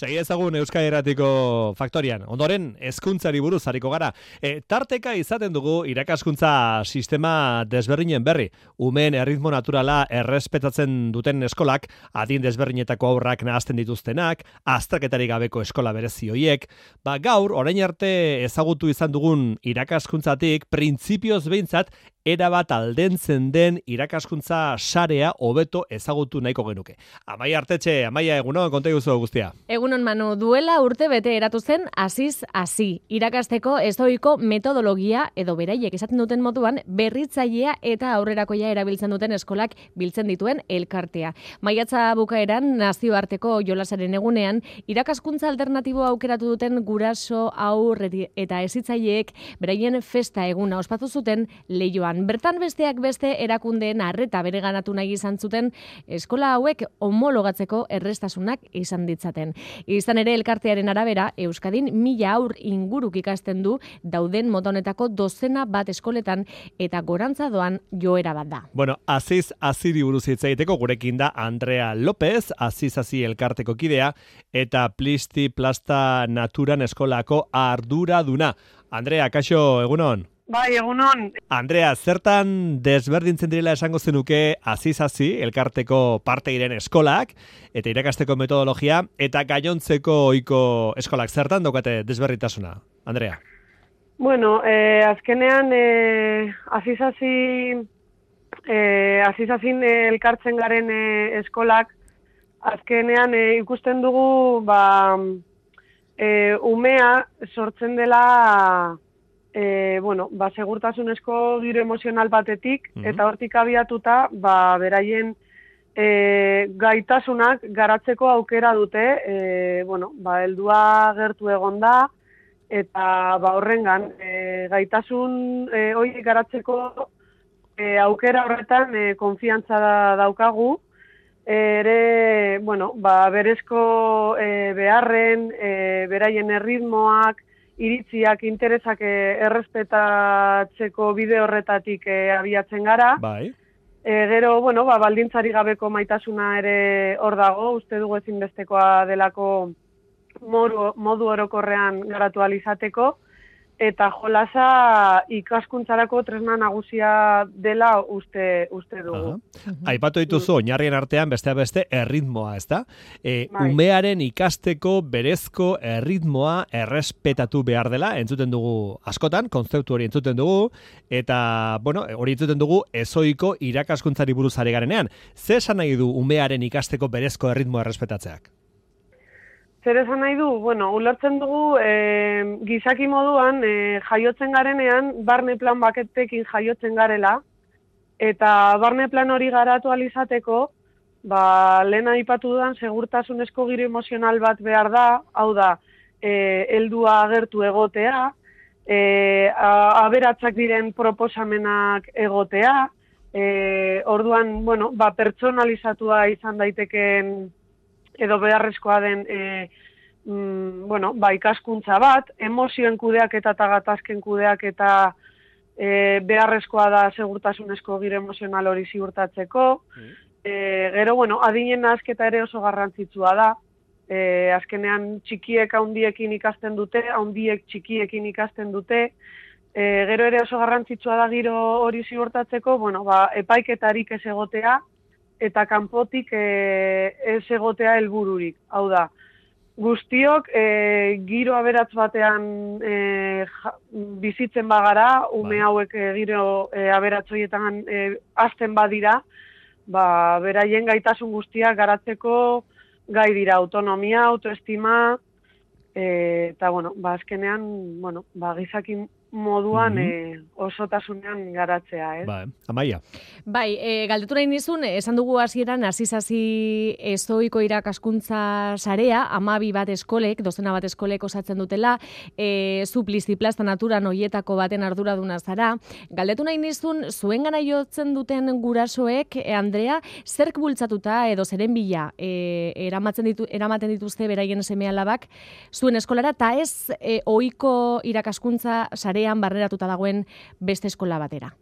Segi ezagun Euskadi Irratiko Faktorian. Ondoren, hezkuntzari buruz hariko gara. Tarteka izaten dugu irakaskuntza sistema desberdinen berri. Umeen erritmo naturala errespetatzen duten eskolak, adin desberdinetako aurrak nahazten dituztenak, azterketarik gabeko eskola berezi hoiek. Gaur, orain arte ezagutu izan dugun irakaskuntzatik, printzipioz behintzat, erabat aldentzen den irakaskuntza sarea hobeto ezagutu nahiko genuke. Amaia Artetxe, Amaia, egunon, konta guzu guztia. Egunon, Manu, duela urte bete eratu zen hasiz hasi. Irakasteko ezoiko metodologia edo beraiek esaten duten moduan berritzailea eta aurrerakoia erabiltzen duten eskolak biltzen dituen elkartea. Maiatza bukaeran nazioarteko jolasaren egunean irakaskuntza alternatibo aukeratu duten guraso, haur eta hezitzaileek beraien festa eguna ospatu zuten Leioan. Bertan besteak beste erakundeen arreta bereganatu nahi izan zuten eskola hauek homologatzeko errestasunak izan ditzaten. Izan ere elkartearen arabera, Euskadin 1000 haur inguruk ikasten du dauden mota honetako dozena bat eskoletan eta gorantza doan joera bat da. Bueno, Aziz Aziri buruz hitz egiteko gurekin da Andrea López, Aziz Azi elkarteko kidea eta Plisti Plasta Naturan eskolako arduraduna. Andrea, kaixo, egunon? Bai, egunon. Andrea, zertan desberdintzen direla esango zenuke Aziz Azi elkarteko parte diren eskolak eta irakasteko metodologia eta gainontzeko ohiko eskolak zertan daukate desberdintasuna? Andrea. Bueno, azkenean Aziz Azin elkartzen garen eskolak azkenean ikusten dugu umea sortzen dela segurtasunezko giro emozional batetik, eta hortik abiatuta, beraien gaitasunak garatzeko aukera dute, heldua gertu egonda, eta horrengan, gaitasun hori garatzeko aukera horretan konfiantza daukagu, berezko beharren, beraien erritmoak, iritziak, interesak errespetatzeko bide horretatik abiatzen gara. Bai. Gero, baldintzari gabeko maitasuna ere hor dago, uste dugu ezinbestekoa delako modu orokorrean garatu ahal izateko, eta jolasa ikaskuntzarako tresna nagusia dela uste dugu. Aipatu dituzu oinarrien artean besteak beste erritmoa, ezta? Umearen ikasteko berezko erritmoa errespetatu behar dela, entzuten dugu askotan, kontzeptu hori entzuten dugu, eta, hori entzuten dugu ezoiko irakaskuntzari buruz ari garenean. Zer esan nahi du umearen ikasteko berezko erritmoa errespetatzeak? Zer esan nahi du? Ulertzen dugu gizaki moduan jaiotzen garenean barne plan baketekin jaiotzen garela, eta barne plan hori garatu ahal izateko, lehen aipatu dudan segurtasunezko giro emozional bat behar da, hau da, heldua agertu egotea, aberatzak diren proposamenak egotea, orduan, pertsonalizatua izan daiteken edo beharrezkoa den ikaskuntza bat, emozioen kudeaketa eta gatazken kudeaketa beharrezkoa da segurtasunezko giro emozional hori ziurtatzeko. Gero, adinen nahazketa ere oso garrantzitsua da. Azkenean txikiek handiekin ikasten dute, handiek txikiekin ikasten dute. Gero ere oso garrantzitsua da giro hori ziurtatzeko, epaiketarik ez egotea, eta kanpotik ez egotea helbururik. Hau da, guztiok giro aberatz batean bizitzen bagara, ume hauek giro aberatzoietan hasten badira, beraien gaitasun guztiak garatzeko gai dira, autonomia, autoestima, eta, azkenean, gizaki moduan osotasunean garatzea, Amaia. Bai, galdetu nahi nizun, esan dugu hasieran Aziz Azi ezoiko irakaskuntza sarea, 12 bat eskolek, dozena bat eskolek osatzen dutela, zu Plisti Plasta Naturan hoietako baten arduraduna zara. Galdetu nahi nizun, zuengana jotzen duten gurasoek, Andrea, zerk bultzatuta edo zeren bila eramaten dituzte beraien seme-alabak zuen eskolara, eta ez ohiko irakaskuntza sarea barneratuta dagoen beste eskola batera?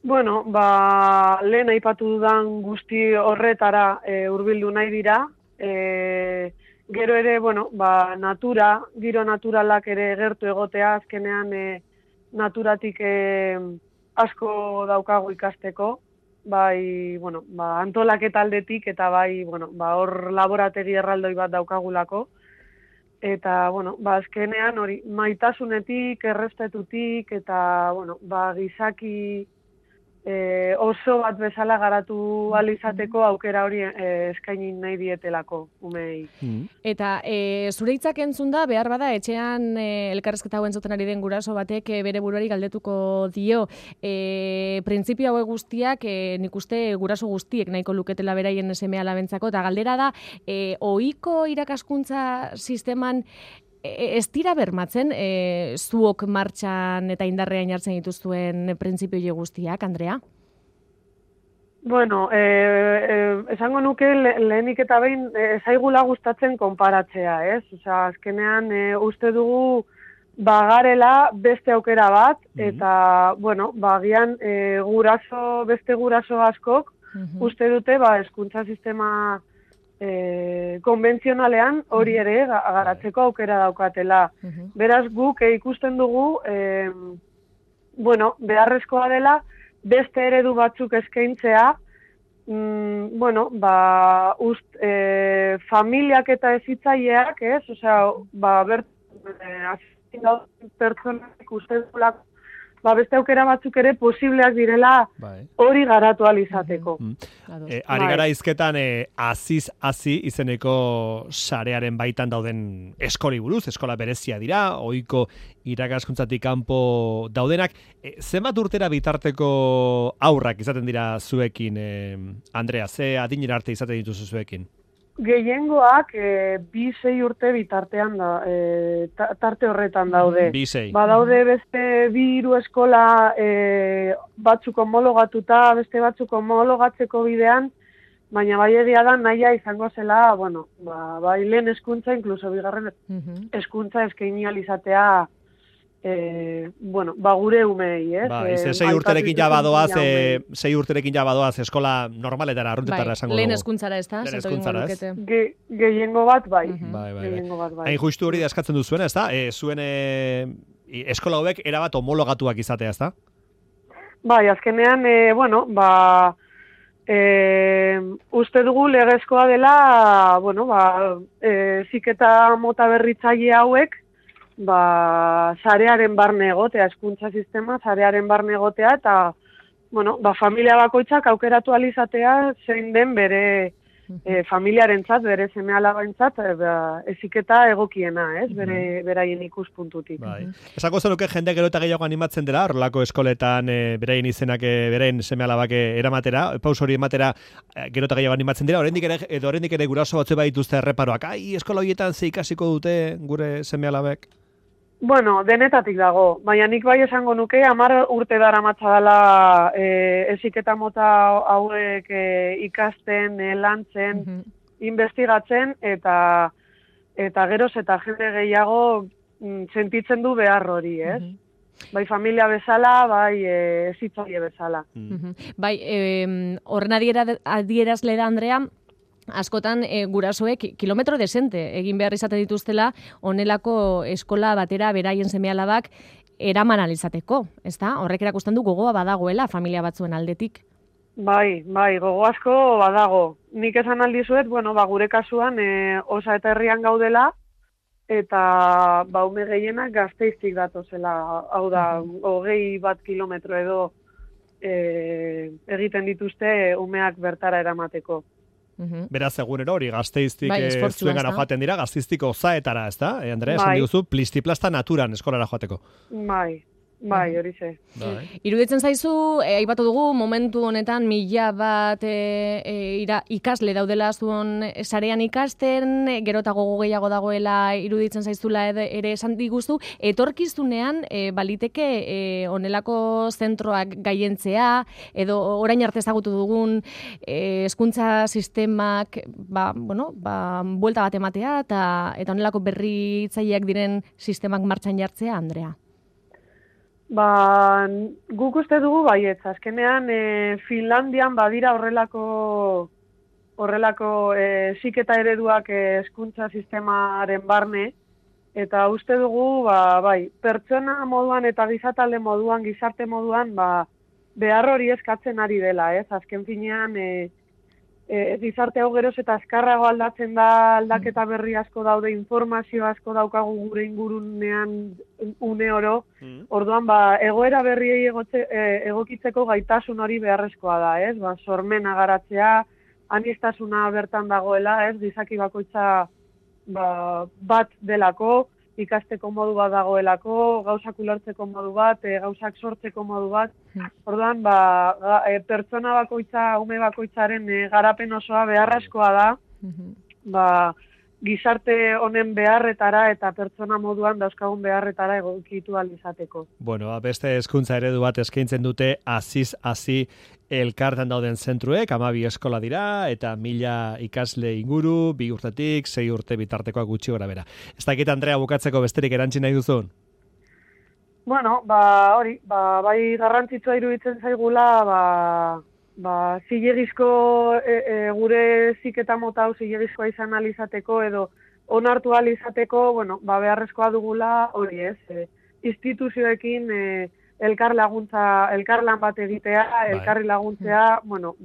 Lehen aipatu dudan guzti horretara hurbildu nahi dira, Gero ere, bueno, giro naturalak ere gertu egotea, azkenean naturatik asko daukagu ikasteko, bai, bueno, antolaketa aldetik eta bai, bueno, hor laborategi erraldoi bat daukagulako. Eta, bueno, azkenean hori maitasunetik, errespetutik eta, bueno, gizaki oso bat bezala garatu alizateko aukera hori eskaini nahi dietelako umei. Eta zure hitzak entzun da, behar bada, etxean elkarrezketa hauen zuten ari den guraso batek bere buruari galdetuko dio. Printzipio hauek guztiak, nik uste guraso guztiek nahiko luketela beraien seme alabentzako, eta galdera da, ohiko irakaskuntza sisteman ez dira bermatzen zuok martxan eta indarrean jartzen dituzuen printzipio guztiak, Andrea? Bueno, esango nuke lehenik eta behin zaigula gustatzen konparatzea, ez? Osea, azkenean uste dugu bagarela beste aukera bat, eta, bueno, agian beste guraso askok uste dute hezkuntza sistema konbentzionalean hori ere garatzeko aukera daukatela. Beraz, guk ikusten dugu, bueno, beharrezkoa dela beste eredu batzuk eskaintzea, bueno, familiak eta hezitzaileak, ez? Osea, pertsonak uste dugulako beste aukera batzuk ere posibleak direla hori garatu alizateko. Ari gara izketan aziz izeneko sarearen baitan dauden eskoli buruz, eskola berezia dira, ohiko irakaskuntzatik kanpo daudenak. Zenbat urtera bitarteko aurrak izaten dira zuekin, Andrea? Ze adinera arte izaten dituzu zuekin? Gehiengoak 2-6 urte bitartean tarte horretan daude. 2-6. Badaude beste 2-3 eskola batzuk homologatuta, beste batzuk homologatzeko bidean, baina bai egia da nahia izango zela, bueno, bai lehen hezkuntza, inkluso bigarren hezkuntza eskaini alizatea, bueno, gure umei, ez? Sei urterekin ja badoaz eskola normaletara, arruntetara esango dugu. Lehen hezkuntzara ez da? Lehen hezkuntzara ez? Gehiengo bat, bai. Hain justu hori da eskatzen duzuena, ez da? Zuen eskola hauek erabat homologatuak izatea, ez da? Bai, azkenean, bueno, uste dugu legezkoa dela, bueno, heziketa mota berritzaile hauek, sarearen barne egotea, hezkuntza sistema, sarearen barne egotea, eta, bueno, familia bakoitzak aukeratu alizatea zein den bere familiarentzat, bere seme alabaintzat, heziketa egokiena, ez, beraien ikuspuntutik. Esako zenuke jende gero eta gehiago animatzen dela, horrelako eskoletan beraien izenak, beraien seme alabak eramatera, paus hori ematera gero eta gehiago animatzen dira, oraindik ere guraso batzu badituzte erreparoak, eskola horietan ze ikasiko dute gure seme alabek? Bueno, denetatik dago, baina nik bai esango nuke, 10 urte daramatza dela heziketa mota hauek ikasten, lantzen, investigatzen, eta geroz eta jende gehiago sentitzen du behar hori, ez? Bai familia bezala, bai hezitzaile bezala. Bai, horren adierazle da, Andrea, askotan gurasoek kilometro desente egin behar izate dituztela honelako eskola batera beraien seme-alabak eraman alizateko, ezta? Horrek erakusten du gogoa badagoela familia batzuen aldetik. Bai, gogo asko badago. Nik esan aldizuet, bueno, gure kasuan Osa eta Herrian gaudela, eta ume gehienak Gasteiztik datozela, hau da, 21 kilometro edo egiten dituzte umeak bertara eramateko. Beraz, egunero hori Gasteiztik zuen gara joaten dira, Gasteiztik Osaetara, ez da? Andrea, esan diguzu, plistiplasta naturan eskolara joateko. Bai, hori ze. Iruditzen zaizu, aipatu dugu, momentu honetan 1000 bat ikasle daudela zuen sarean ikasten, gero eta gogo gehiago dagoela iruditzen zaizula ere esan diguzu, etorkizunean baliteke honelako zentroak gaientzea, edo orain arte ezagutu dugun hezkuntza sistemak, buelta bat ematea, eta honelako berritzaileak diren sistemak martxan jartzea, Andrea? Guk uste dugu baietz, azkenean Finlandian badira horrelako heziketa ereduak hezkuntza sistemaren barne, eta uste dugu, bai, pertsona moduan eta gizatalde moduan, gizarte moduan, behar hori eskatzen ari dela, ez? Azken finean, gizarte hau geroz eta azkarrago aldatzen da, aldaketa berri asko daude, informazio asko daukagu gure ingurunean une oro, orduan, egoera berriei egokitzeko gaitasun hori beharrezkoa da, ez? Sormena garatzea, aniztasuna bertan dagoela, ez? Gizaki bakoitza bat delako, ikasteko modu bat dagoelako, gauzak ulertzeko modu bat, gauzak sortzeko modu bat. Orduan, pertsona bakoitza, ume bakoitzaren garapen osoa beharrezkoa da, gizarte honen beharretara eta pertsona moduan dauzkagun beharretara egokitu ahal izateko. Bueno, beste hezkuntza eredu bat eskaintzen dute Aziz Hasi elkartan dauden zentruek, 12 eskola dira, eta 1000 ikasle inguru, 2 urtetik, 6 urte bitartekoak gutxi gora bera. Ez dakit, Andrea, bukatzeko besterik erantzi nahi duzun? Bueno, hori, bai garrantzitsua iruditzen zaigula, zilegizko gure ziketa mota hau zilegizkoa izan alizateko edo onartu alizateko, bueno, beharrezkoa dugula hori ez, instituzioekin elkarlan bat egitea, elkarri laguntzea, bueno,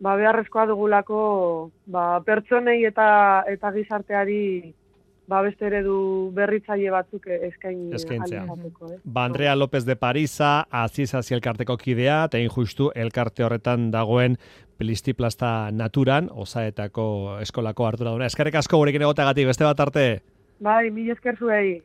beharrezkoa dugulako pertsonei eta gizarteari beste eredu berritzaile batzuk eskaintzea. alizateko. Andrea López de Parisa, Aziz Hasi elkarteko kidea, eta justu elkarte horretan dagoen Plisti-Plasta naturan, Osaetako eskolako arduraduna. Eskerrik asko gurekin egotagatik, beste bat arte. Bai, mila esker zuei.